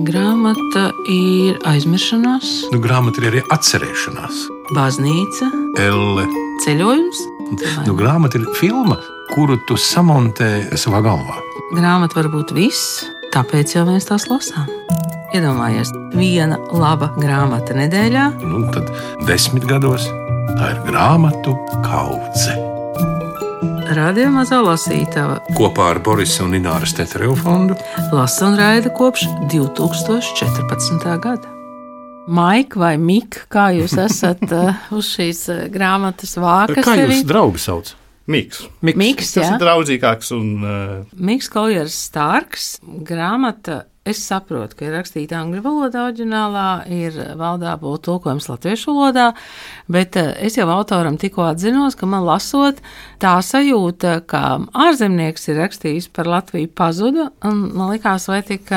Grāmata ir aizmiršanās, Grāmata ir arī atcerēšanās. baznīca, Elle. ceļojums. Grāmata ir filma, kuru tu samontē savā galvā. Grāmata var būt viss, tāpēc jau mēs tās lasām. Iedomājies, viena laba grāmata nedēļā. Tad 10 gados tā ir grāmatu kaudze. Radio Mazā lasītava Kopā ar Borisa un Ināras Tetereva fondu lasa un raida kopš 2014. gada. Maika vai Mika, kā jūs esat uz šīs grāmatas vākas? Kā jūs draugi sauc? Miks. Miks, Tas jā. ir draudzīgāks un Miks Koljers Starks. Grāmata, es saprotu, ka ir rakstīta angļu valodā oriģinālā, ir valdā būt tulkojums latviešu valodā, bet es jau autoram tikko atzinos, ka man lasot tā sajūta, ka ārzemnieks ir rakstījis par Latviju pazuda, un man likās, vai tik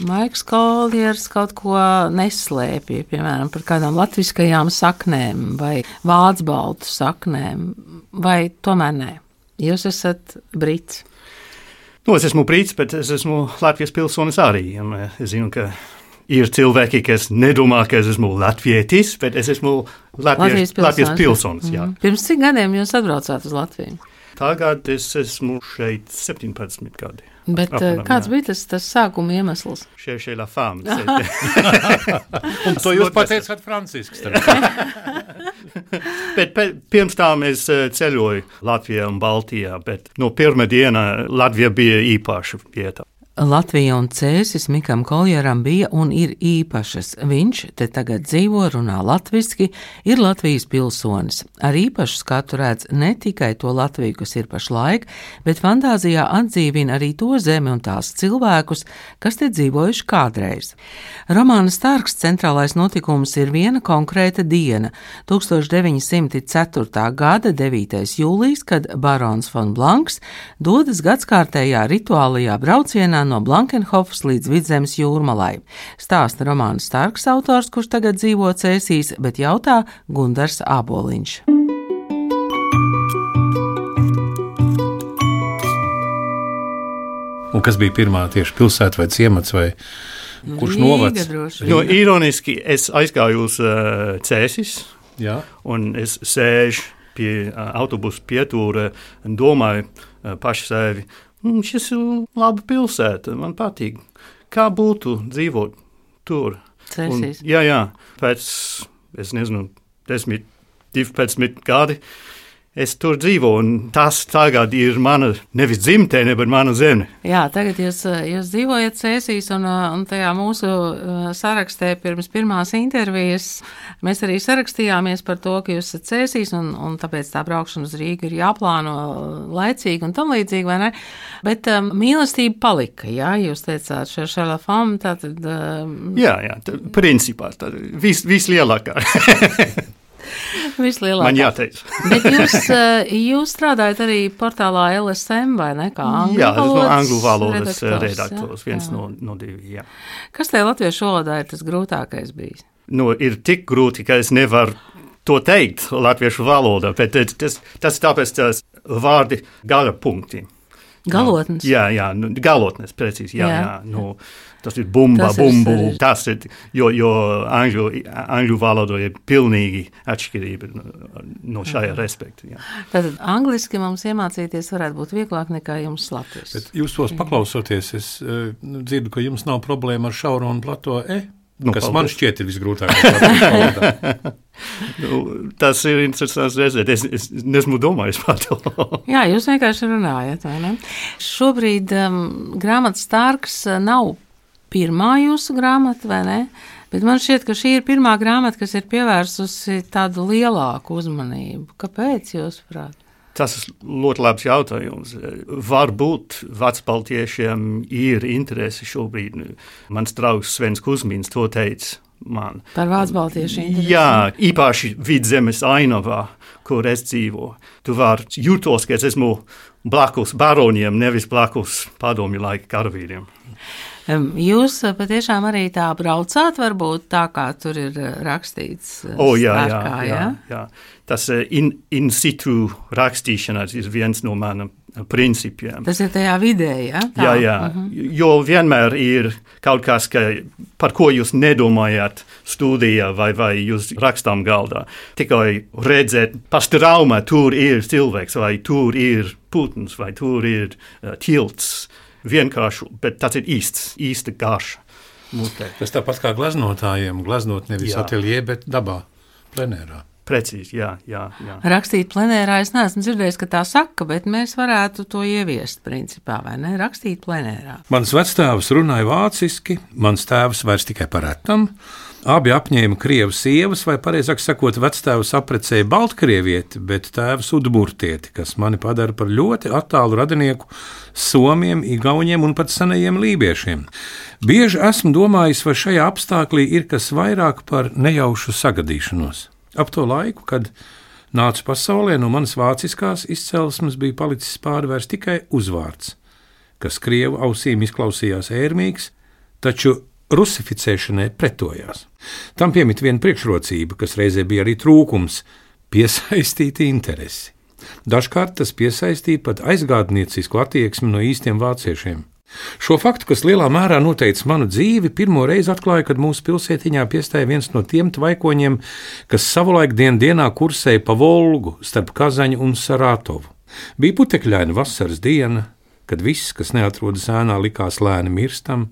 Maiks Koljers kaut ko neslēpja, piemēram, par kādām latviskajām saknēm vai vācbaltu saknēm, vai tomēr nē. Jūs esat brits. es esmu brīts, bet es esmu Latvijas pilsonis arī. Un es zinu, ka ir cilvēki, kas nedomā, ka es esmu latvietis, bet es esmu Latvijas pilsonis. Jā. Pirms cik gadiem jūs atbraucāt uz Latviju? Tagad es esmu šeit 17 gadi. Bet Apmēram, kāds jā. bija tas sākuma iemesls? Šeit la femme. Un to jūs pateicāt Francisks. Bet pirms tam es ceļoju Latvijā un Baltijā, bet no pirmā diena Latvija bija īpaša vieta. Latvija un Cēsis Mikam Koljeram bija un ir īpašas. Viņš te tagad dzīvo, runā latviski, ir Latvijas pilsonis. Ar īpašu skatu redz ne tikai to Latviju, kas ir pašlaik, bet fantāzijā atdzīvina arī to zemi un tās cilvēkus, kas te dzīvojuši kādreiz. Romāna Starks centrālais notikums ir viena konkrēta diena, 1904. gada 9. jūlijas, kad barons von Blanks dodas gadskārtējā rituālajā braucienā no Blankenhofas līdz Vidzemes jūrmalai. Stāsta Romāna Starks autors, kurš tagad dzīvo Cēsīs, bet jautā Gundars Āboliņš. Un kas bija pirmā tieši pilsēta vai ciemats vai kurš novads? Ironiski es aizgāju uz Cēsis, Jā. un es sēžu pie autobusu pietūra un domāju paši sevi, šis ir laba pilsēta, man patīk. Kā būtu dzīvot tur? Cēsīs. Jā, pēc, es nezinu, 10, 12 gadi es tur dzīvo, un tas tagad ir mana nevis dzimtene, bet mana zeme. Jā, tagad jūs dzīvojat Cēsīs, un tajā mūsu sarakstē pirms pirmās intervijas mēs arī sarakstījāmies par to, ka jūs esat Cēsīs, un tāpēc tā braukšana uz Rīgu ir jāplāno laicīgi un tam līdzīgi, vai ne? Bet mīlestība palika, jā, jūs teicāt, šeit la femme, tātad... Jā, principā, vislielākā. Vislielākā. Man jāteic. Bet jūs strādājat arī portālā LSM, vai ne? Kā angļu valodas redaktors, viens no divi, jā. Kas te latviešu valodā ir tas grūtākais bijis? Ir tik grūti, ka es nevaru to teikt latviešu valodā, bet tas tāpēc tās vārdi gala punkti. Galotnes? Jā, galotnes, precīzi, jā. Tas ir bumba, bumbu, tas ir, jo angļu valodā ir pilnīgi atšķirība no šajā respekta. Jā. Tātad angliski mums iemācīties varētu būt vieglāk nekā jums latviski. Bet jūs tos paklausoties, es dzirdu, ka jums nav problēma ar šauro un plato kas man šķiet ir visgrūtākais. Tas ir interesants redzēt. Es nesmu domājis par to. Jā, jūs vienkārši runājat, vai ne? Šobrīd grāmata Starks nav pirmā jūsu grāmata, vai ne? Bet man šķiet, ka šī ir pirmā grāmata, kas ir pievērsusi tādu lielāku uzmanību. Kāpēc, jūsuprāt? Tas ir ļoti labs jautājums. Varbūt vecbaltiešiem ir interese šobrīd. Mans draugs Svens Kuzmins to teica man. Par vācbaltiešu interesi? Jā, īpaši Vidzemes ainavā, kur es dzīvo. Tu vari jūtos, ka es esmu blakus baroniem, nevis blakus padomju laika karavīriem. Jūs patiešām arī tā braucāt, varbūt tā, kā tur ir rakstīts? Jā. Tas in situ rakstīšanas ir viens no maniem principiem. Tas ir tajā vidē, ja? Tā. Jā. Jo vienmēr ir kaut kas, par ko jūs nedomājat studijā vai jūs rakstām galdā. Tikai redzēt, pastraumā tur ir cilvēks, vai tur ir putns, vai tur ir tilts. Vienkārši, bet tas ir īsta garša mutē. Tas tāpat kā glaznotājiem, glaznot nevis ateljē, bet dabā, plenērā. Precīzi, jā. Rakstīt plenērā, es neesmu dzirdējis, ka tā saka, bet mēs varētu to ieviest principā, vai ne? Rakstīt plenērā. Mans vectēvs runāja vāciski, mans tēvs vairs tikai par retam. Abi apņēma krievu sievas, vai pareizāk sakot, vectēvs aprecēja baltkrievieti, bet tēvs udmurtieti, kas mani padara par ļoti attālu radinieku somiem, igauņiem un pat senajiem lībiešiem. Bieži esmu domājis, vai šajā apstāklī ir kas vairāk par nejaušu sagadīšanos. Ap to laiku, kad nācu pasaulē, no manas vāciskās izcelsmes bija palicis pāri tikai uzvārds, kas krievu ausīm izklausījās ērmīgs, taču rusificēšanai pretojās. Tam piemīt viena priekšrocība, kas reizē bija arī trūkums – piesaistīt interesi. Dažkārt tas piesaistīja pat aizgādniecisku attieksmi no īstiem vāciešiem. Šo faktu, kas lielā mērā noteica manu dzīvi, pirmo reizi atklāja, kad mūsu pilsētiņā piestāja viens no tiem tvaikoņiem, kas savulaik dienā kursēja pa Volgu starp Kazaņu un Saratovu. Bija putekļaina vasaras diena, kad viss, kas neatrodas ēnā, likās lēni mirstam.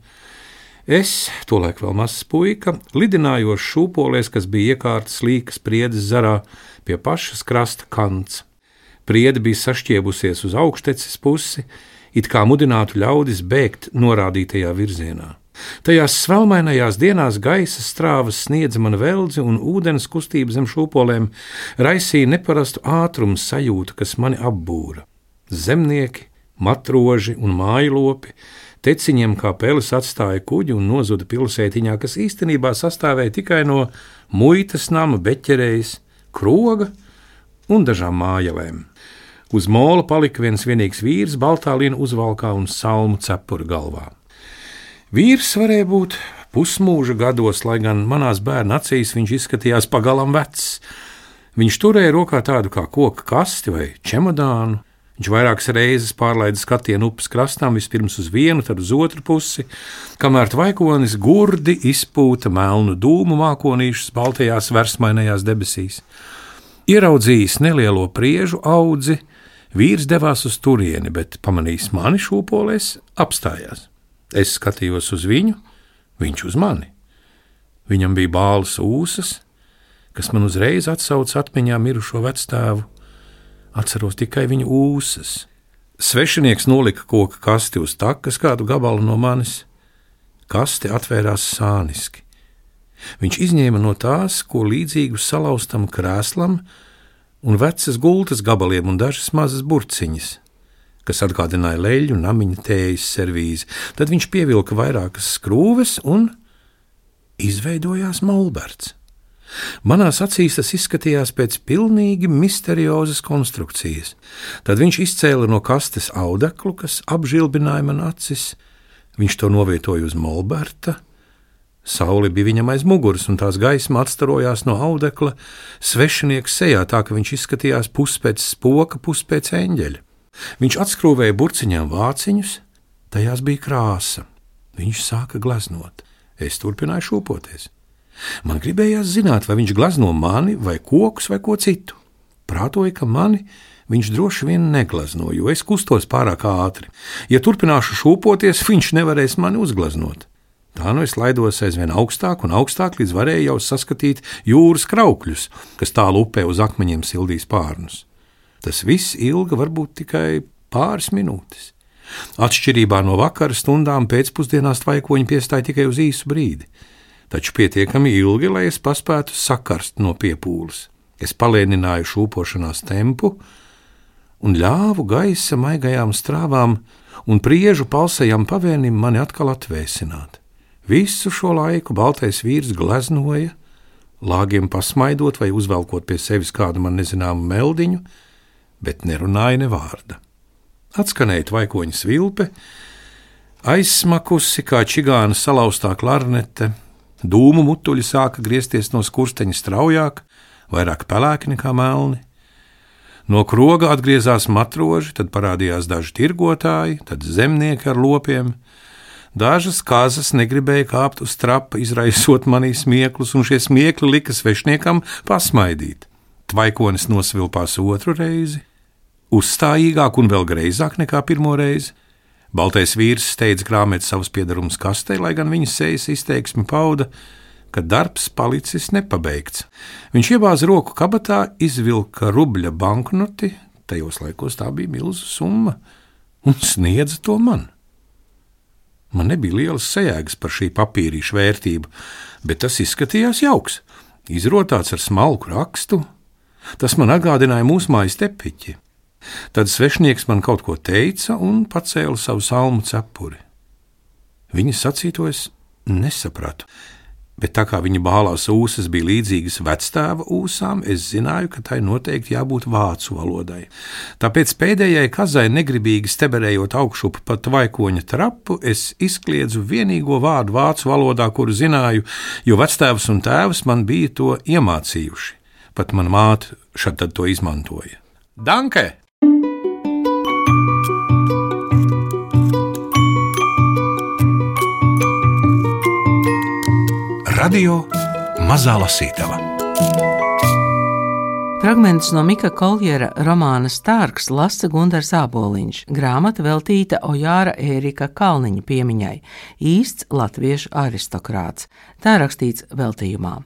Es, tolaik vēl mazs puika, lidinājos šūpolēs, kas bija iekārtas līkas priedes zarā pie pašas krasta kants. Priede bija sašķiebusies uz augšteces pusi, it kā mudinātu ļaudis bēgt norādītajā virzienā. Tajās svelmainajās dienās gaisa strāvas sniedza man veldzi un ūdens kustība zem šūpolēm raisīja neparastu ātrumu sajūtu, kas mani apbūra. Zemnieki, matroži un mājlopi teciņiem kā peles atstāja kuģi un nozuda pilsētiņā, kas īstenībā sastāvēja tikai no muitas nama, beķerejas, kroga un dažām mājelēm. Uz mola palika viens vienīgs vīrs, baltā lina uzvalkā un salmu cepura galvā. Vīrs varēja būt pusmūža gados, lai gan manās bērna acīs viņš izskatījās pagalam vecs. Viņš turēja rokā tādu kā koka kasti vai čemodānu. Viņš vairākas reizes pārlaida skatienu upes krastām, vispirms uz vienu, tad uz otru pusi, kamēr tvaikonis gurdi izpūta melnu dūmu mākonīšus baltajās versmainajās debesīs. Ieraudzījis nelielo priežu audzi, vīrs devās uz turieni, bet pamanījis mani šūpolēs, apstājās. Es skatījos uz viņu, viņš uz mani. Viņam bija bālas ūsas, kas man uzreiz atsauca atmiņā mirušo vectēvu. Atceros tikai viņa ūsas. Svešinieks nolika koka kasti uz takas kādu gabalu no manis. Kaste atvērās sāniski. Viņš izņēma no tās, ko līdzīgu salauztam krēslam un vecas gultas gabaliem un dažas mazas burciņas, kas atgādināja leļu namiņa tējas servīzi. Tad viņš pievilka vairākas skrūves un izveidojās molberts. Manās acīs tas izskatījās pēc pilnīgi misteriozas konstrukcijas. Tad viņš izcēla no kastes audeklu, kas apžilbināja man acis. Viņš to novietoja uz molberta. Saule bija viņam aiz muguras, un tās gaisma atstarojās no audekla svešinieka sejā, tā ka viņš izskatījās pus pēc spoka, pus pēc eņģeļa. Viņš atskrūvēja burciņām vāciņus, tajās bija krāsa. Viņš sāka glaznot. Es turpināju šūpoties. Man gribējās zināt, vai viņš glazno mani, vai kokus, vai ko citu. Prātoju, ka mani viņš droši vien neglazno, jo es kustos pārāk ātri. Ja turpināšu šūpoties, viņš nevarēs mani uzglaznot. Tā nu es laidos aizvien augstāk un augstāk, līdz varēju jau saskatīt jūras kraukļus, kas tālu upē uz akmeņiem sildīs pārnus. Tas viss ilga varbūt tikai pāris minūtes. Atšķirībā no vakara stundām pēcpusdienās tvaikoņi piestāja tikai uz īsu brīdi, taču pietiekami ilgi, lai es paspētu sakarst no piepūles. Es palēnināju šūpošanās tempu un ļāvu gaisa maigajām strāvām un priežu palsajam pavēnim mani atkal atvēsināt. Visu šo laiku baltais vīrs gleznoja, lāgiem pasmaidot vai uzvelkot pie sevis kādu man nezināmu meldiņu, bet nerunāja ne vārda. Atskanēja tvaikoņa svilpe, aizsmakusi kā čigāna salauztā klarnete, dūmu mutuļi sāka griezties no skursteņa straujāk, vairāk pelēki nekā melni. No kroga atgriezās matroži, tad parādījās daži tirgotāji, tad zemnieki ar lopiem. Dažas kazas negribēja kāpt uz trapa, izraisot manī smieklus, un šie smiekli lika svešniekam pasmaidīt. Tvaikonis nosvilpās otru reizi, uzstājīgāk un vēl greizāk nekā pirmo reizi. Baltais vīrs steidz krāmēt savus piedarumus kastē, lai gan viņa sejas izteiksmi pauda, ka darbs palicis nepabeigts. Viņš iebāza roku kabatā, izvilka rubļa banknoti, tajos laikos tā bija milzu summa, un sniedza to man. Man nebija lielas sajēgas par šī papīrīša vērtību, bet tas izskatījās jauks, izrotāts ar smalku rakstu. Tas man atgādināja mūsu mājas tepiķi. Tad svešnieks man kaut ko teica un pacēla savu salmu cepuri. Viņa sacīto es nesapratu, bet tā kā viņa bālās ūsas bija līdzīgas vectēva ūsām, es zināju, ka tai noteikti jābūt vācu valodai. Tāpēc pēdējai kazai negribīgi steberējot augšup pa tvaikoņa trapu, es izkliedzu vienīgo vārdu vācu valodā, kuru zināju, jo vectēvs un tēvs man bija to iemācījuši. Pat mana māte šad tad to izmantoja. Danke! Radio Mazā Lasītava. Fragmentus no Mika Koljera romāna Stārks lasa Gundars Āboliņš, grāmata veltīta Ojāra Ērika Kalniņa piemiņai, īsts latviešu aristokrāts. Tā rakstīts veltījumā.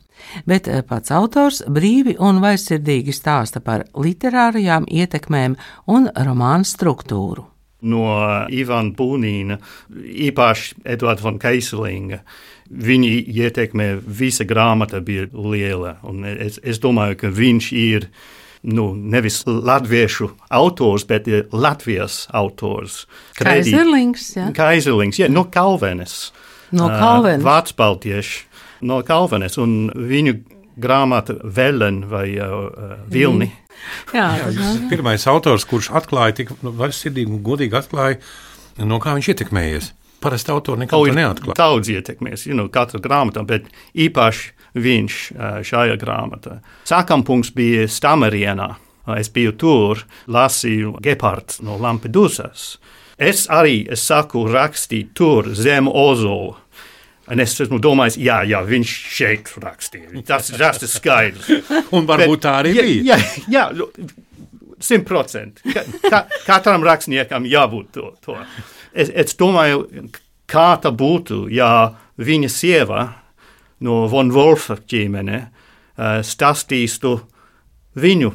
Bet pats autors brīvi un vaisirdīgi stāsta par literārajām ietekmēm un romāna struktūru. No Ivana Bunīna, īpaši Eduarda von Keiselinga, viņa ietekme visa grāmata bija liela. Un es domāju, ka viņš ir nevis latviešu autors, bet Latvijas autors. Kaiserlings, jā. Kaiserlings, jā, no Kalvenes. No Kalvenes. Vācbaltieši no Kalvenes. Un viņu grāmata Velen vai Vilni. Jā, Pirmais autors, kurš atklāja tik vaļsirdīgi un godīgi atklāja, no kā viņš ietekmējies. Parasti autori nekad to neatklāja. Daudz ietekmēs, katra grāmatā, bet īpaši viņš šajā grāmatā. Sākampunkts bija Stamerienā. Es biju tur, lasīju Gepards no Lampedusas. Es saku rakstīt tur zem Ozola. Un es esmu domājis, jā, viņš šeit rakstīja. Tas ir skaidrs. Un varbūt tā arī bija. Jā, 100%. Katram rakstniekam jābūt to. Es domāju, kā tā būtu, ja viņa sieva no Von Wolfa ģimene stāstītu viņu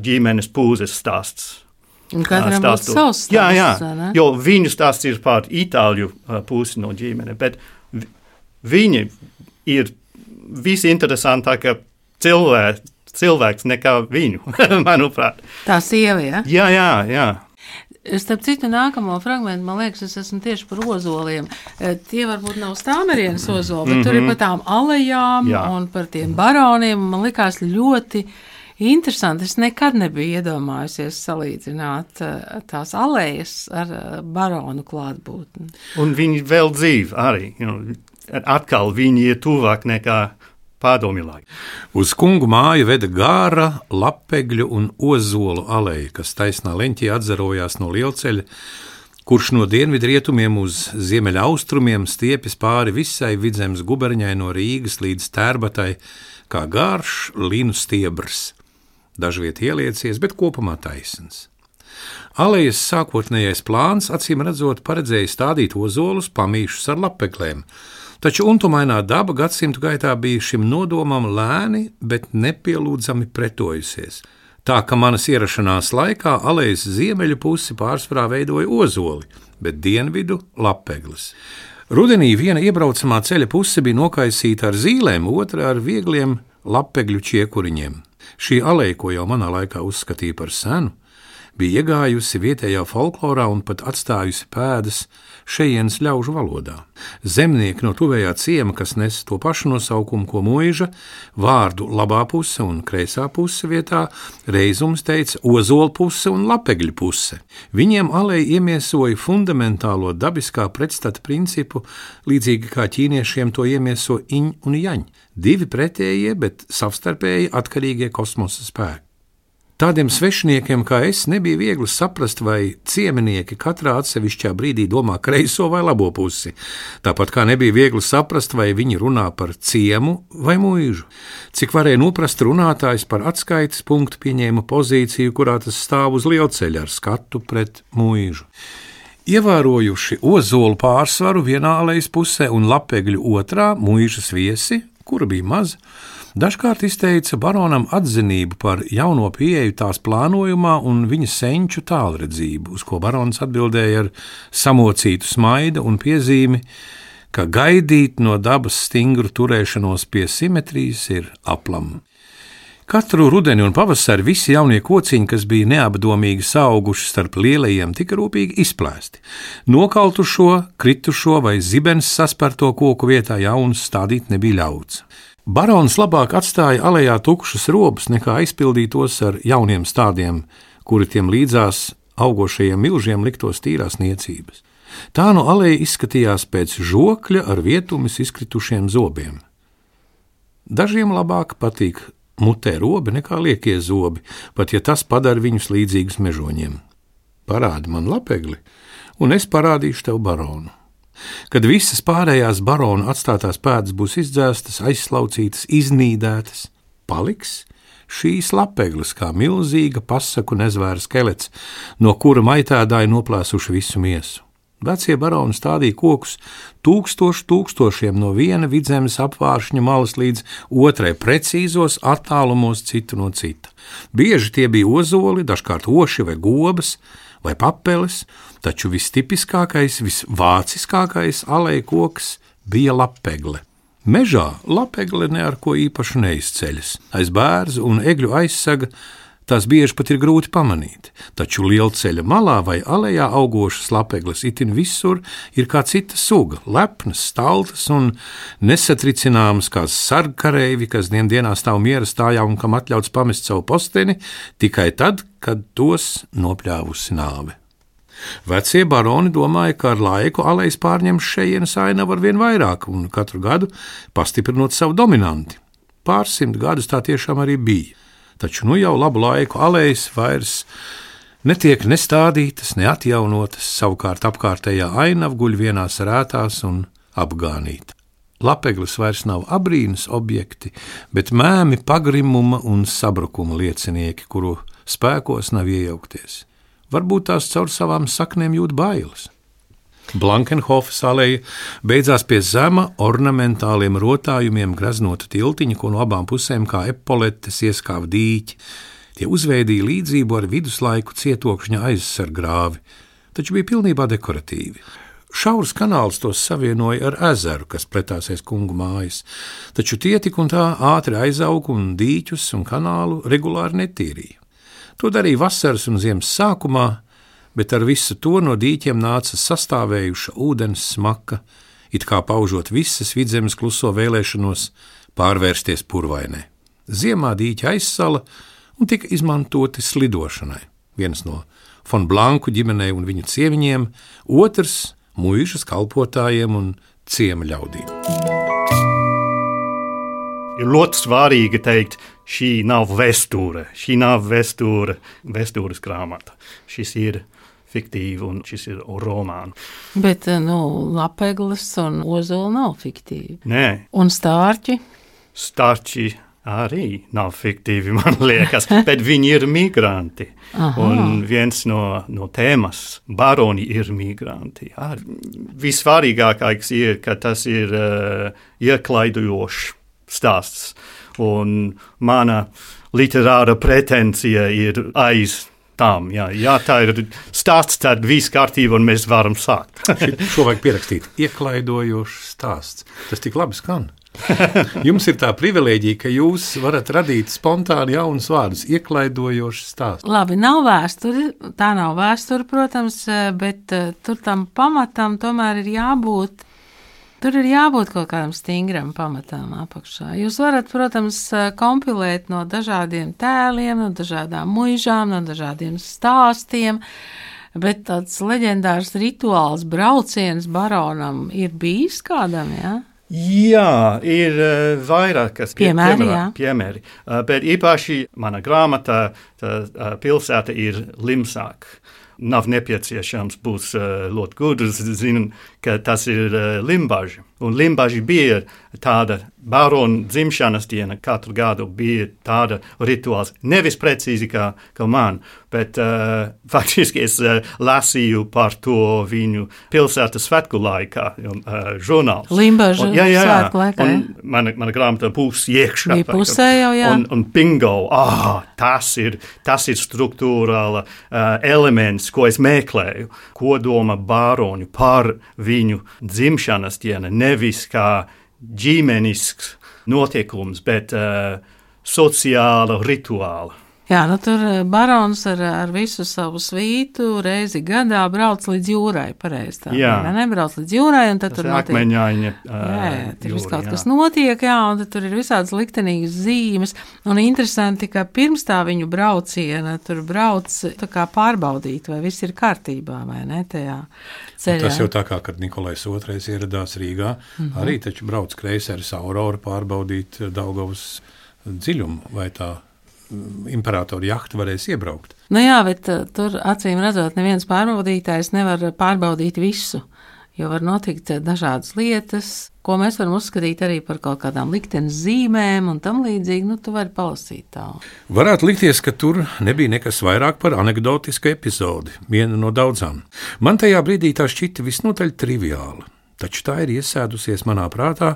ģimenes pūzes stāsts. Un katram būtu savs stāsts. Jā, jo viņu stāsts ir par itāļu pusi no ģimene, bet viņa ir visinteresantākā cilvēks nekā viņu, manuprāt. Tā sieva, ja? Jā. Starp citu, nākamo fragmentu, man liekas, es esmu tieši par ozoliem. Tie varbūt nav Stāmerienas ozoli, bet tur ir par tām alejām un par tiem baroniem. Man likās ļoti interesanti. Es nekad nebiju iedomājusies salīdzināt tās alejas ar baronu klātbūtni. Un viņi vēl dzīvi arī. Atkal viņi ir tuvāk nekā Padomju laikā. Uz kungu māju veda gāra, lapegļu un ozolu aleja, kas taisnā leņķī atzarojās no lielceļa, kurš no dienvidrietumiem uz ziemeļaustrumiem stiepjas pāri visai Vidzemes guberņai no Rīgas līdz Tērbatai, kā garš linu stiebrs. Dažviet ieliecies, bet kopumā taisns. Alejas sākotnējais plāns, acīm redzot, paredzēja stādīt ozolus pamīšus ar lapeglēm, taču untumainā daba gadsimtu gaitā bija šim nodomam lēni, bet nepielūdzami pretojusies. Tā ka manas ierašanās laikā alejas ziemeļu pusi pārsvarā veidoja ozoli, bet dienvidu lapeglis. Rudenī viena iebraucamā ceļa puse bija nokaisīta ar zīlēm, otra ar viegliem lapegļu čiekuriņiem. Šī aleja, ko jau manā laikā uzskatīja par senu, bija iegājusi vietējā folklorā un pat atstājusi pēdas šejienes ļaužu valodā. Zemnieki no tuvējā ciema, kas nes to pašu nosaukumu, ko muiža, vārdu labā puse un kreisā puse vietā reizums teica ozola puse un lapegļu puse. Viņiem aleja iemiesoja fundamentālo dabiskā pretstata principu, līdzīgi kā ķīniešiem to iemieso iņ un jaņ, divi pretējie, bet savstarpēji atkarīgie kosmosa spēki. Tādiem svešiniekiem kā es nebija viegli saprast, vai ciemenieki katrā atsevišķā brīdī domā kreiso vai labo pusi. Tāpat kā nebija viegli saprast, vai viņi runā par ciemu vai mūžu. Cik varēja noprast runātājs par atskaites punktu pieņēma pozīciju, kurā tas stāv uz lielceļa ar skatu pret mūžu. Ievērojuši ozolu pārsvaru vienā alejas pusē un lapegļu otrā mūžas viesi, kura bija maza, dažkārt izteica baronam atzinību par jauno pieeju tās plānojumā un viņa senču tālredzību, uz ko barons atbildēja ar samocītu smaidu un piezīmi, ka gaidīt no dabas stingru turēšanos pie simetrijas ir aplam. Katru rudeni un pavasari visi jaunie kociņi, kas bija neapdomīgi sauguši starp lielajiem, tika rūpīgi izplēsti. Nokautušo, kritušo vai zibens sasperto koku vietā jaunus stādīt nebija ļauts. Barons labāk atstāja alejā tukšas robus, nekā aizpildītos ar jauniem stādiem, kuri tiem līdzās augošajiem milžiem liktos tīrās niecības. Tā no aleja izskatījās pēc žokļa ar vietumis izkritušiem zobiem. Dažiem labāk patīk mutē robi nekā liekie zobi, pat ja tas padara viņus līdzīgus mežoņiem. Parādi man lapegli, un es parādīšu tev baronu. Kad visas pārējās barona atstātās pēdas būs izdzēstas, aizslaucītas, iznīdētas, paliks šīs lapegles kā milzīga pasaku nezvēra skelets, no kura maitēdāji noplēsuši visu miesu. Vecie baroni stādīja kokus tūkstošiem no viena vidzemes apvāršņa malas līdz otrai precīzos attālumos citu no cita. Bieži tie bija ozoli, dažkārt oši vai gobas, vai papeles, taču vistipiskākais, visvāciskākais aleja koks bija lapegle. Mežā lapegle ne ar ko īpašu neizceļas. Aiz bērzu un egļu aizsaga tās bieži pat ir grūti pamanīt, taču lielceļa malā vai alejā augošas lapegles itin visur ir kā cita suga, lepnas, staltas un nesatricināmas kā sargkareivi, kas dienā stāv miera stājā un kam atļauts pamest savu posteni tikai tad, kad tos nopļāvusi nāve. Vecie baroni domāja, ka ar laiku alejas pārņems šejienes ainavu arvien vairāk un katru gadu pastiprinot savu dominanti. Pārsimt gadus tā tiešām arī bija. Taču nu jau labu laiku alejas vairs netiek nestādītas, neatjaunotas, savukārt apkārtējā ainava guļ vienās rētās un apgānīta. Lapegles vairs nav abrīnas objekti, bet mēmi pagrimuma un sabrukuma liecinieki, kuru spēkos nav iejaukties. Varbūt tās caur savām saknēm jūt bailes. Blankenhofas aleja beidzās pie zema ornamentāliem rotājumiem graznota tiltiņa, ko no abām pusēm kā epoletes ieskāva dīķi. Tie uzveidīja līdzību ar viduslaiku cietokšņa aizsargrāvi, taču bija pilnībā dekoratīvi. Šaurs kanāls tos savienoja ar ezeru, kas pletāsies kungu mājas, taču tie tik un tā ātri aizauga un dīķus un kanālu regulāri netīrīja. To darīja vasaras un ziemas sākumā, bet ar visu to no dīķiem nāca sastāvējuša ūdens smaka, it kā paužot visas vidzemes kluso vēlēšanos pārvērsties purvainē. Ziemā dīķi aizsala un tika izmantoti slidošanai. Viens no Fon Blanku ģimenei un viņu cieviņiem, otrs muižas kalpotājiem un ciema ļaudīm. Ir ļoti svarīgi teikt, šī nav vēsture, vēstures grāmata. Šis ir fiktīvi un šis ir romāns. Bet, lapegles un ozoli nav fiktīvi. Nē. Un stārķi? Stārķi arī nav fiktīvi, man liekas, bet viņi ir migranti. Aha. Un viens no tēmas, baroni ir migranti. Visvarīgākais ir, ka tas ir ieklaidojošs stāsts. Un mana literāra pretensija ir aiz tām. Jā, tā ir stāsts, tad viss kārtība un mēs varam sākt. Šo vajag pierakstīt. Ieklaidojošs stāsts. Tas tik labi skan. Jums ir tā privilēģija, ka jūs varat radīt spontāni jaunus vārdus. Ieklaidojošs stāsts. Labi, nav vēsture. Tā nav vēsture, protams, bet tur tam pamatam tomēr ir jābūt. Tur ir jābūt kaut kādam stingram pamatam apakšā. Jūs varat, protams, kompilēt no dažādiem tēliem, no dažādām muižām, no dažādiem stāstiem, bet tāds leģendārs rituāls brauciens baronam ir bijis kādam, jā? Jā, ir vairākas piemēri, bet īpaši mana grāmatā pilsēta ir Limsāk. Nav nepieciešams būt ļoti gudrs, zinu, ka tas ir Limbaži. Un Limbaži bija tāda barona dzimšanas diena, katru gadu bija tāda rituāls. Nevis precīzi kā man, bet faktiski es lasīju par to viņu pilsētas svētku laikā, žurnāls. Limbažu svētku laikā, mana grāmata būs iekšā. Bija pusē jau, jā. Un bingo, tas ir struktūrāla elements, ko es meklēju. Ko doma baroņu par viņu dzimšanas dienu, nevis kā ģimenisks notiekums, bet sociāla rituāla. Jā, tur barons ar visu savu svītu reizi gadā brauc līdz jūrai, pareizi tā. Jā. Nebrauc līdz jūrai, un tad tur notiek. Akmeņaini. Tur viss kaut kas notiek, jā, un tad tur ir visādas liktenīgas zīmes. Un interesanti, ka pirms tā viņu brauciena tur brauc tā kā pārbaudīt, vai viss ir kārtībā, vai ne, tajā ceļā. Tas jau tā kā, kad Nikolais II ieradās Rīgā, arī taču brauc kreiseris Aurora pārbaudīt Daugavas dziļumu, vai tā imperatora jahta varēs iebraukt. Nu jā, bet tur acīm redzot, neviens pārbaudītājs nevar pārbaudīt visu, jo var notikt dažādas lietas, ko mēs varam uzskatīt arī par kaut kādām liktenes zīmēm un tam līdzīgi, tu vari palasīt tā. Varētu likties, ka tur nebija nekas vairāk par anekdotisku epizodi, viena no daudzām. Man tajā brīdī tā šķita visnotaļ triviāla, taču tā ir iesēdusies manā prātā,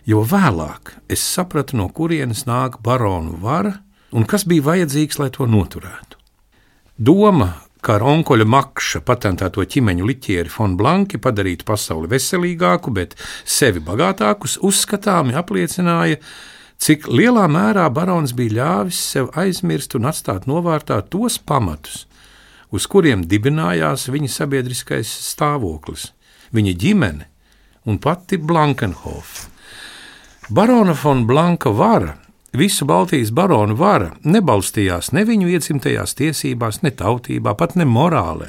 jo vēlāk es sapratu, no kurienes nāk baronu vara, un kas bija vajadzīgs, lai to noturētu. Doma, kā ar onkoļa Makša patentēto ķimeņu liķieri Fon Blanki padarītu pasauli veselīgāku, bet sevi bagātākus, uzskatāmi apliecināja, cik lielā mērā barons bija ļāvis sev aizmirst un atstāt novārtā tos pamatus, uz kuriem dibinājās viņa sabiedriskais stāvoklis, viņa ģimene un pati Blankenhofa. Barona Fon Blanka vara, visu Baltijas baronu vara nebalstījās ne viņu iedzimtajās tiesībās, ne tautībā, pat ne morālē,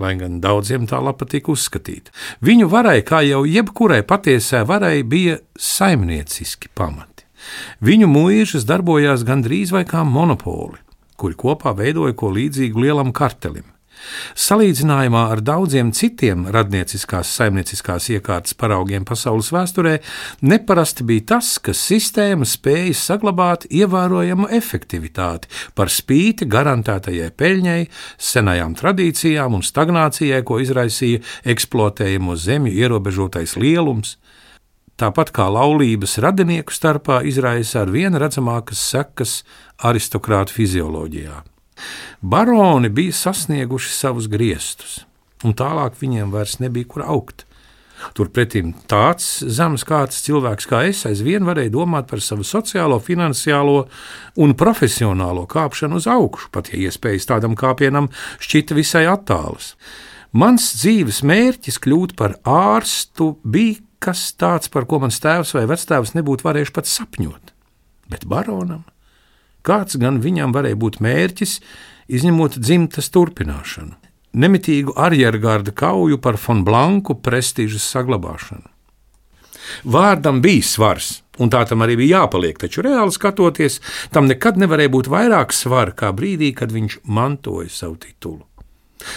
lai gan daudziem tā patika uzskatīt. Viņu varai, kā jau jebkurai patiesai varai, bija saimnieciski pamati. Viņu mūžas darbojās gandrīz vai kā monopoli, kuri kopā veidoja ko līdzīgu lielam kartelim. Salīdzinājumā ar daudziem citiem radnieciskās saimnieciskās iekārtas paraugiem pasaules vēsturē neparasti bija tas, ka sistēma spēja saglabāt ievērojamu efektivitāti par spīti garantētajai peļņai, senajām tradīcijām un stagnācijai, ko izraisīja eksploatējamo zemju ierobežotais lielums. Tāpat kā laulības radinieku starpā izraisa ar vien redzamākas sekas aristokrātu fizioloģijā. Baroni bija sasnieguši savus griestus, un tālāk viņiem vairs nebija kur augt. Turpretim tāds zemes kārtas cilvēks kā es aizvien varēja domāt par savu sociālo, finansiālo un profesionālo kāpšanu uz augšu, pat ja iespējas tādam kāpienam šķita visai attālas. Mans dzīves mērķis kļūt par ārstu bija kas tāds, par ko mans tēvs vai vectēvs nebūtu varējuši pat sapņot. Bet baronam? Kāds gan viņam varēja būt mērķis, izņemot dzimtas turpināšanu, nemitīgu arjergarda kauju par Fon Blanku prestižas saglabāšanu. Vārdam bija svars, un tā tam arī bija jāpaliek, taču reāli skatoties, tam nekad nevarēja būt vairāk svara kā brīdī, kad viņš mantoja savu titulu.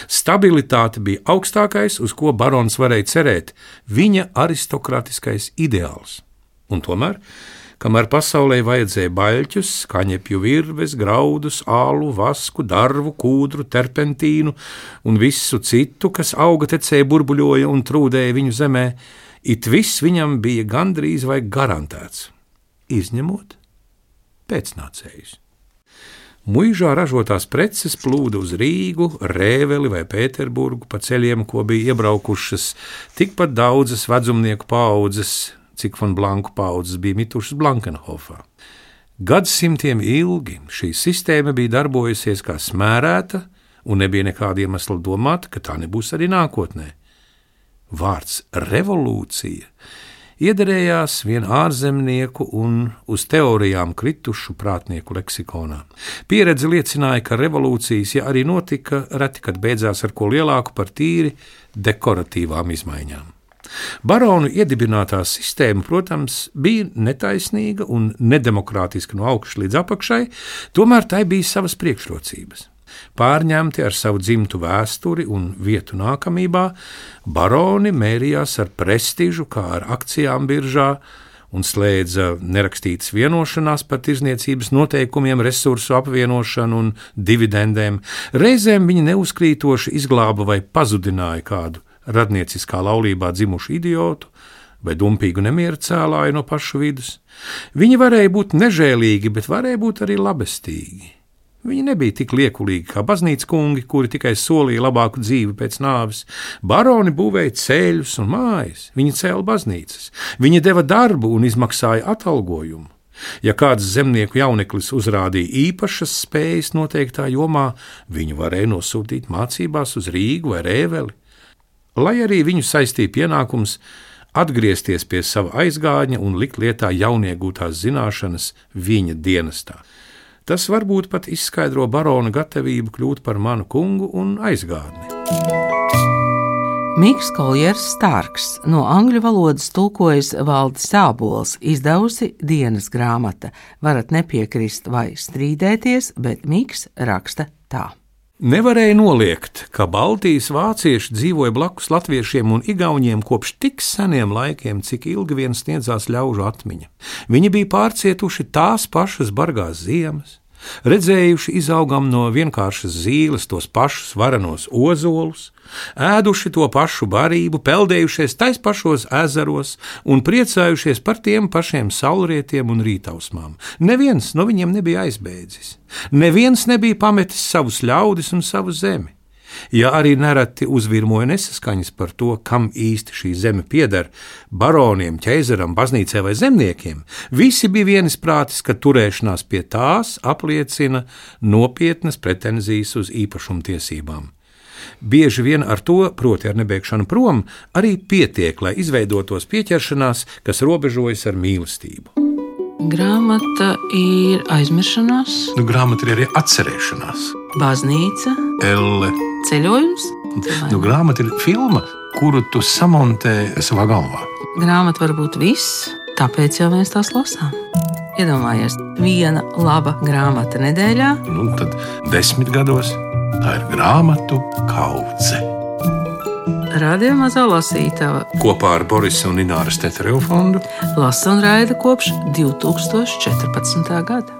Stabilitāte bija augstākais, uz ko barons varēja cerēt, viņa aristokratiskais ideāls. Un tomēr, kamēr pasaulē vajadzēja baļķus, kaņepju virves, graudus, ālu, vasku, darvu, kūdru, terpentīnu un visu citu, kas auga tecēja, burbuļoja un trūdēja viņu zemē, it viss viņam bija gandrīz vai garantēts, izņemot pēcnācējus. Muižā ražotās preces plūda uz Rīgu, Rēveli vai Pēterburgu pa ceļiem, ko bija iebraukušas tikpat daudzas vedzumnieku paaudzes, cik Fon Blanku paaudzes bija mitušas Blankenhofā. Gadsimtiem ilgi šī sistēma bija darbojusies kā smērēta, un nebija nekāda iemesla domāt, ka tā nebūs arī nākotnē. Vārds revolūcija iederējās vien ārzemnieku un uz teorijām kritušu prātnieku leksikonā. Pieredze liecināja, ka revolūcijas, ja arī notika, reti kad beidzās ar ko lielāku par tīri dekoratīvām izmaiņām. Baronu iedibinātā sistēma, protams, bija netaisnīga un nedemokrātiska no augšas līdz apakšai, tomēr tai bija savas priekšrocības. Pārņemti ar savu dzimtu vēsturi un vietu nākamībā, baroni mērījās ar prestižu, kā ar akcijām biržā, un slēdza nerakstītas vienošanās par tirdzniecības noteikumiem, resursu apvienošanu un dividendēm. Reizēm viņi neuzkrītoši izglāba vai pazudināja kādu radnieciskā laulībā dzimušu idiotu vai dumpīgu nemieru cēlāju no pašu vidus. Viņi varēja būt nežēlīgi, bet varēja būt arī labestīgi. Viņi nebija tik liekulīgi kā baznīcas kungi, kuri tikai solīja labāku dzīvi pēc nāves. Baroni būvēja ceļus un mājas, viņi cēla baznīcas, viņi deva darbu un izmaksāja atalgojumu. Ja kāds zemnieku jauneklis uzrādīja īpašas spējas noteiktā jomā, viņu varēja nosūtīt mācībās uz Rīgu vai Rēveli. Lai arī viņu saistīja pienākums atgriezties pie sava aizgādņa un likt lietā jauniegūtās zināšanas viņa dienestā. Tas varbūt pat izskaidro barona gatavību kļūt par manu kungu un aizgādni. Miks Koljers Starks no angļu valodas tulkojas Valdis Ābols, izdevusi dienas grāmata. Varat nepiekrist vai strīdēties, bet Miks raksta tā. Nevarēja noliegt, ka Baltijas vācieši dzīvoja blakus latviešiem un igauņiem kopš tik seniem laikiem, cik ilgi vien sniedzās ļaužu atmiņa. Viņi bija pārcietuši tās pašas bargās ziemas, redzējuši izaugam no vienkāršas zīles tos pašus varenos ozolus, ēduši to pašu barību, peldējušies tais pašos ezeros un priecājušies par tiem pašiem saulrietiem un rītausmām. Neviens no viņiem nebija aizbēdzis. Neviens nebija pametis savus ļaudis un savu zemi. Ja arī nereti uzvirmoja nesaskaņas par to, kam īsti šī zeme pieder, baroniem, ķeizaram, baznīcai vai zemniekiem, visi bija vienisprātis, ka turēšanās pie tās apliecina nopietnas pretenzijas uz īpašumtiesībām. Bieži vien ar to, proti ar nebeigšanu prom, arī pietiek, lai izveidotos pieķeršanās, kas robežojas ar mīlestību. Grāmata ir aizmiršanās, Grāmata ir arī atcerēšanās. baznīca, Elle. ceļojums. Grāmata ir filma, kuru tu samontē savā galvā. Grāmata var būt viss, tāpēc jau mēs tās lasām. Iedomājies, viena laba grāmata nedēļā. Tad 10 gados tā ir grāmatu kaudze. Radio Mazā lasītava Kopā ar Borisa un Ināras Teterevu fondu lasa un raida kopš 2014. gada.